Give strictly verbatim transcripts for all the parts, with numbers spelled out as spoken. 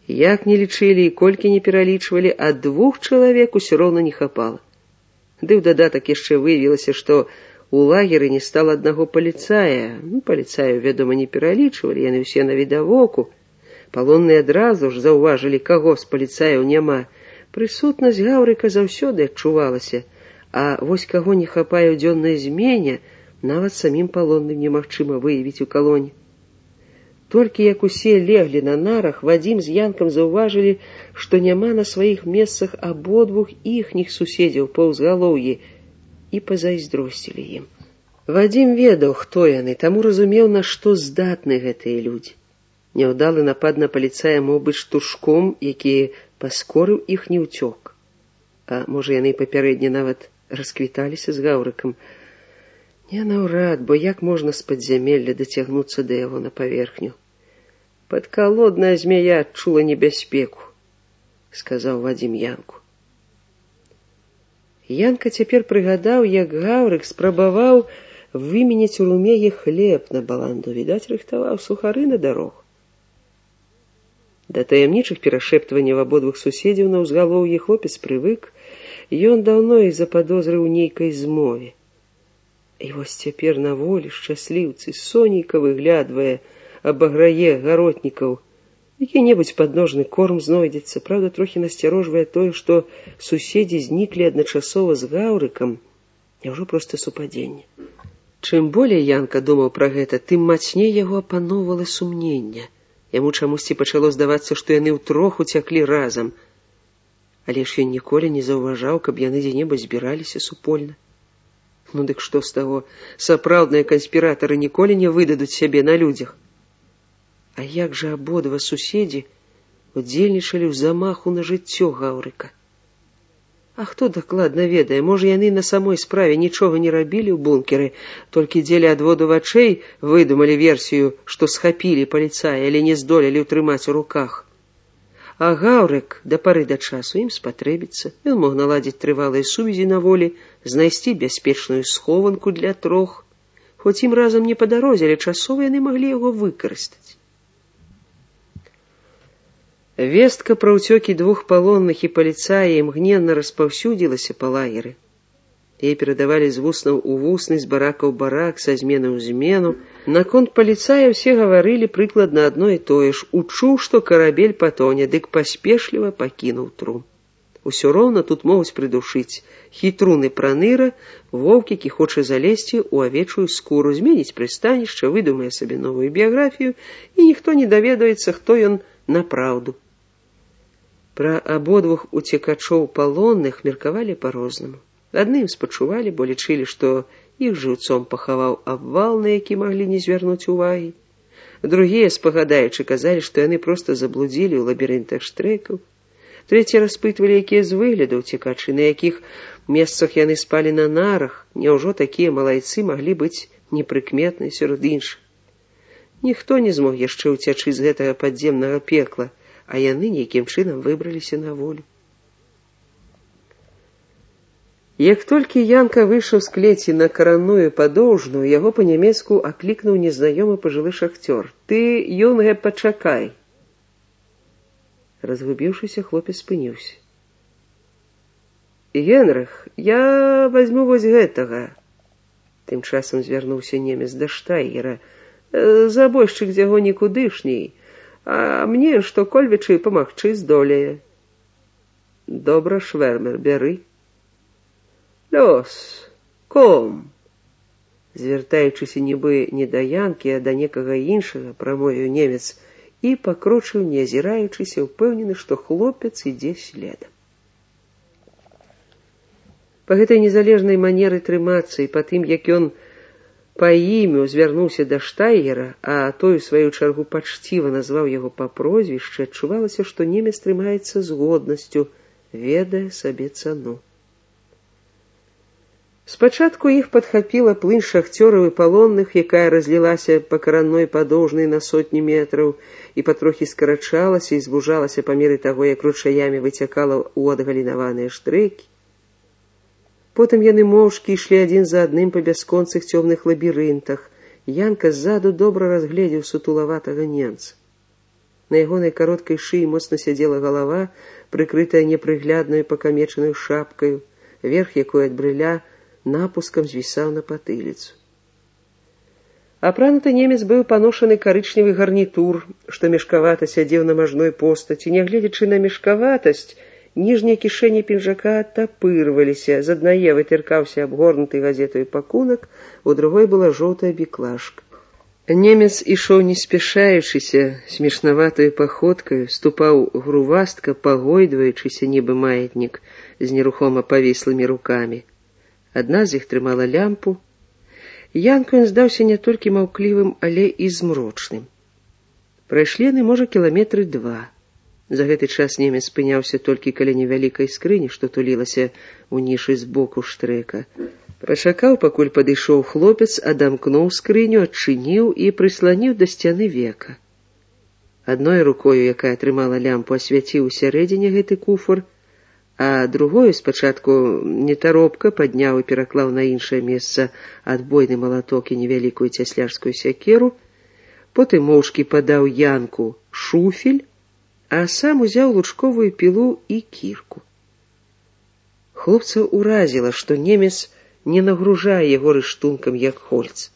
Як не лічылі і колькі не пералічвалі, а двух чалавек усё роўна не хапала. Ды ў дадатак яшчэ выявілася, што у лагеры не стала аднаго паліцая. Ну, паліцаю, вядома, не пералічвалі, яны ўсе навідавоку. Палонныя адразу ж заўважылі, каго з паліцаяў няма. Прысутнасць Гаўрыка заўсёды адчувалася, а вось каго не хапае ў дзённай змене, нават самім палонным немагчыма выявіць у калоне. Толькі як усе леглі на нарах, Вадзім з Янкам заўважылі, што няма на сваіх месцах абодвух іхніх суседзяў па ўзгалоўі, і пазайздросцілі ім. Вадзім ведаў, хто яны, таму разумеў, на што здатны гэтыя людзі. Няўдалы напад на паліцая мог быць штуршком, які паскорыў іхні ўцёк. А можа, яны папярэдне нават расквіталіся з Гаўрыкам. Не наўрад, бо як можна з падзямелля дацягнуцца да яго на паверхню? Падкалодная змяя адчула небяспеку, сказаў Вадзім Янку. Янка цяпер прыгадаў, як Гаўрык спрабаваў выменяць у румеі хлеб на баланду, відаць, рыхтаваў сухары на дарогу. Да таямнічых перашэптванняў абодвух суседзяў на ўзгалоўі хлопец прывык, ён даўно іх западозрыў у нейкай змове. І вось цяпер на волі шчасліўцы сонейка выглядвае, абаграе гаротнікаў. Які-небудзь падножны корм знойдзецца, праўда, трохі насцярожвае тое, што суседзі зніклі адначасова з Гаўрыкам. Няўжо проста супадзенне? Чым болей Янка думаў пра гэта, тым мацней яго апаноўвала сумненне. Яму чамусьці пачало здавацца, што яны ўтрох уцяклі разам. Але ж ён ніколі не заўважаў, каб яны дзе-небудзь збіраліся супольна. Ну дык што з таго? Сапраўдныя канспіратары ніколі не выдадуць сябе на людзях. А як жа абодва суседзі удзельнічалі ў замаху на жыццё Гаўрыка? А хто дакладна ведае, можа, яны на самой справе нічога не рабілі ў бункеры, толькі дзеля адводу вачэй выдумалі версію, што схапілі паліцая, але не здолелі ўтрымаць у руках. А Гаўрык да пары да часу ім спатрэбіцца. Ён мог наладзіць трывалыя сувязі на волі, знайсці бяспечную схованку для трох. Хоць ім разам не па дарозе, але часова яны маглі яго выкарыстаць. Вестка пра ўцёкі двух палонных і паліцая імгненна распаўсюдзілася па лагеры. Яе перадавалі з вуснаў у вусны, з барака ў барак, са змены ў змену. Наконт паліцая ўсе гаварылі прыкладна адно і тое ж. Учуў, што карабель патоне, дык паспешліва пакінуў трум. Усё роўна тут могуць прыдушыць хітруны праныра, воўк, які хоча залезці ў авечую скуру, зменіць прыстанішча, выдумае сабе новую біяграфію, і ніхто не даведаецца, хто ён напраўду. Пра абодвух уцекачоў палонных меркавалі па-рознаму. Адным спачувалі, бо лічылі, што іх жыўцом пахаваў абвал, на які маглі не звярнуць увагі. Другія, спагадаючы, казалі, што яны проста заблудзілі ў лабірынтах штрэкаў. Трэція распытвалі, якія з выгляду ўцекачы, на якіх месцах яны спалі на нарах. Няўжо такія малайцы маглі быць непрыкметныя сярод іншых? Ніхто не змог яшчэ ўцячы з гэтага падземнага пекла, а яны нейкім чынам выбраліся на волю. Як толькі Янка выйшаў з клеці на каранную падоўжную, яго па-нямецку аклікнуў незнаёмы пажылы шахцёр. «Ты, юнге, пачакай!» Разгубіўшыся, хлопец спыніўся. «Генрых, я возьму вось гэтага!» Тым часам звярнуўся немец да штайгера. «Забойшчык з яго нікудышний, а мне што-кольвічы памагчы здолее». «Добра, швэрмер, бяры». «Лёс, ком!» Звяртаючыся нібы не да Янкі, а да некага іншага, прамовіў немец, і пакрочыў, не азіраючыся, упэўнены, што хлопец ідзе следам. Па гэтай незалежнай манеры трымацца і па тым, як ён па імю звярнуўся да штайгера, а той, у сваю чаргу, пачціва назваў яго па прозвішчы, адчувалася, што немец трымаецца з годнасцю, ведае сабе цану. Спачатку іх падхапіла плынь шахцёраў і палонных, якая разлілася па каранной падоўжнай на сотні метраў і патрохі скарачалася і звужалася па меры таго, як ручаямі выцякала ў адгалінаваныя штрэкі. Потым яны моўчкі ішлі адзін за адным па бясконцых цёмных лабірынтах. Янка ззаду добра разгледзеў сутулаватага немца. На ягонай кароткай шыі моцна сядзела галава, прыкрытая непрыгляднаю пакамечанаю шапкаю, верх якой ад брыля напускам звісаў на патыліцу. Апрануты немец быў паношаны карычневы гарнітур, што мешкавата сядзеў на мажной постаці. Нягледзячы на мешкаватасць, ніжнія кішэні пінжака адтапырваліся, з аднае вытыркаўся абгорнуты газетаю пакунак, у другой была жоўтая біклажка. Немец ішоў не спяшаючыся, смешнаватаю паходкаю, ступаў грувастка, пагойдваючыся, нібы маятнік, з нерухома павіслымі рукамі. Адна з іх трымала лямпу. Янку ён здаўся не толькі маўклівым, але і змрочным. Прайшлі яны, можа, кіламетры два. За гэты час немец спыняўся толькі каля невялікай скрыні, што тулілася ў нішы збоку штрэка. Пачакаў, пакуль падышоў хлопец, адамкнуў скрыню, адчыніў і прысланіў да сцяны века. Адной рукою, якая трымала лямпу, асвяціў усярэдзіне гэты куфар, а другою спачатку нетаропка падняў і пераклаў на іншае месца адбойны малаток і невялікую цяслярскую сякеру, потым моўчкі падаў Янку шуфель, а сам узяў лучковую пілу і кірку. Хлопца ўразіла, што немец не нагружае яго рыштункам, як хольц.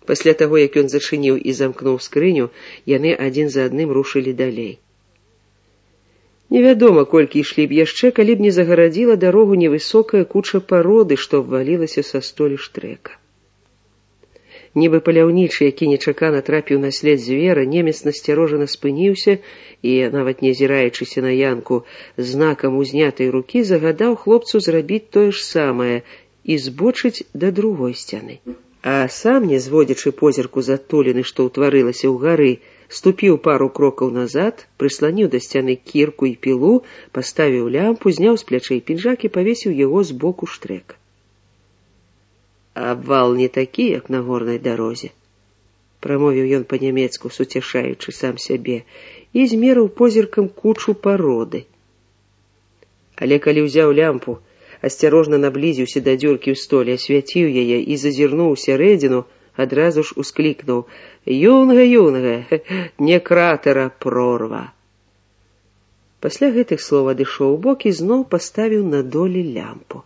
Пасля таго, як ён зачыніў і замкнуў скрыню, яны адзін за адным рушылі далей. Невядома, колькі ішлі б яшчэ, калі б не загарадзіла дарогу невысокая куча пароды, што абвалілася са столі штрэка. Нібы паляўнічы, які нечакана трапіў на след звера, немец насцярожана спыніўся і, нават не азіраючыся на Янку, знакам узнятай рукі загадаў хлопцу зрабіць тое ж самае і збочыць да другой сцяны. А сам, не зводзячы позірку з адтуліны, што ўтварылася ў гары, ступіў пару крокаў назад, прысланіў да сцяны кірку і пілу, паставіў лямпу, зняў з плячэй пінжак і павесіў яго з боку штрэка. «Абвал не такі, як на горнай дарозе», — прамовіў ён па-нямецку, суцяшаючы сам сябе, і змерыў позіркам кучу пароды. Але калі ўзяў лямпу, асцярожна наблізіўся да дзюркі ў столі, асвяціў яе і зазірнуў усярэдзіну, адразу ж усклікнуў: «Юнга, юнга, не кратера, прорва!» Пасля гэтых слоў адышоў убок і зноў паставіў на долі лямпу.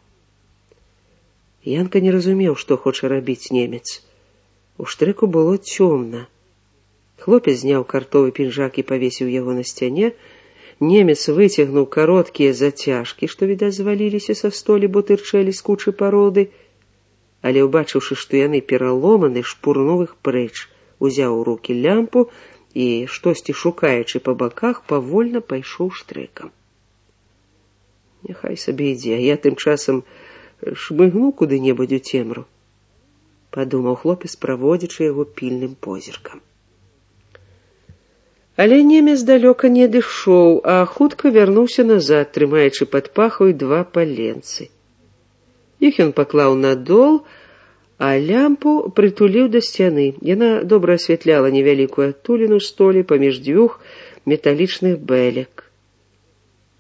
Янка не разумеў, што хоча рабіць немец. У штрэку было цёмна. Хлопец зняў картовы пінжак і павесіў яго на сцяне. Немец выцягнуў кароткія зацяжкі, што, відаць, зваліліся са столі, бо тырчэлі з кучы пароды, але, убачыўшы, што яны пераломаны, шпурнуў іх прэч, узяў у рукі лямпу і, штосьці шукаючы па баках, павольна пайшоў штрэкам. «Няхай сабе ідзе, а я тым часам шмыгну куды-небудзь у цемру», — падумаў хлопец, праводзячы яго пільным позіркам. Але немец далёка не адышоў, а хутка вярнуўся назад, трымаючы пад пахаю два паленцы. Іх ён паклаў на дол, а лямпу прытуліў да сцяны. Яна добра асвятляла невялікую адтуліну столі паміж дзвюх металічных бэлек.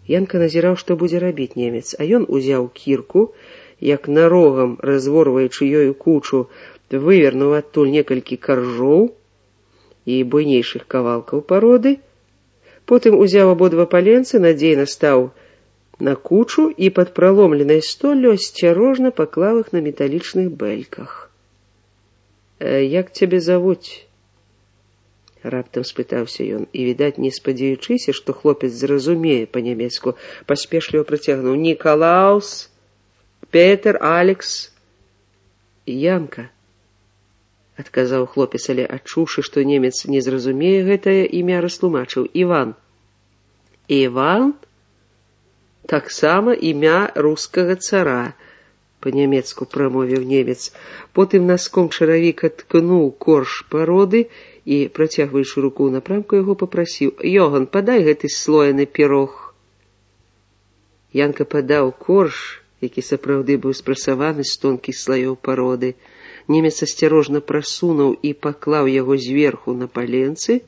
Янка назіраў, што будзе рабіць немец, а ён узяў кірку, як нарогам, разворваючы ёю кучу, вывернуў адтуль некалькі каржоў і буйнейшых кавалкаў пароды, потым узяў абодва паленцы, надзейна стаў на кучу і пад праломленай столлю асцярожна паклаў іх на металічных бэльках. «Як цябе завуць?» — раптам спытаўся ён, і, відаць, не спадзяючыся, што хлопец зразумее па-нямецку, паспешліва працягнуў: «Нікалаус, Петер, Алекс». «Янка», — адказаў хлопец, але, адчуўшы, што немец не зразумее гэтае імя, растлумачыў: «Іван». «Іван? Таксама імя рускага цара», — па-нямецку прамовіў немец. Потым наском чаравіка ткнуў корж пароды і, працягваючы руку ў напрамку яго, папрасіў: «Йоган, падай гэты слоены пірог». Янка падаў корж, які сапраўды быў спрасаваны з тонкіх слаёў пароды. Немец асцярожна прасунуў і паклаў яго зверху на паленцы.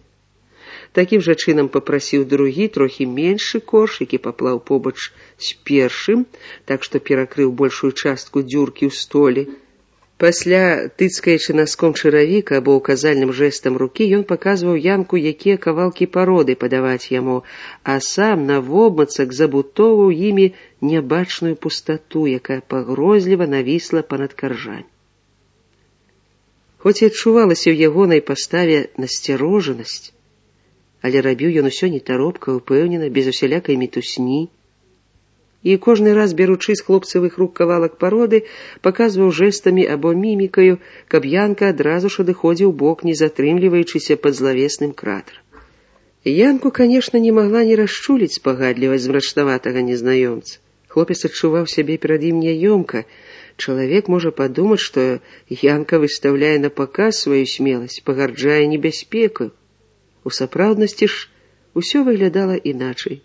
Такім жа чынам папрасіў другі, трохі меншы корж, які паклаў побач з першым, так што перакрыў большую частку дзюркі ў столі. Пасля, тыцкаючы наском чаравік або указальным жэстам рукі, ён паказваў Янку, якія кавалкі пароды падаваць яму, а сам навобмацак забутоўваў імі нябачную пустату, якая пагрозліва навісла панад каржамі. Хоць і адчувалася ў ягонай паставе насцярожанасць, але рабіў ён усё нетаропка, упэўнена, без усялякай мітусні. І кожны раз, беручы з хлопцавых рук кавалак пароды, паказваў жэстамі або мімікаю, каб Янка адразу ж адыходзіў бок, не затрымліваючыся пад злавесным кратарам. Янку, канешне, не магла не расчуліць спагадлівасць змрачнаватага незнаёмца. Хлопец адчуваў сябе перад ім няёмка. Чалавек можа падумаць, што Янка выстаўляе на паказ сваю смеласць, пагарджае небяспекаю. У сапраўднасці ж усё выглядала іначай.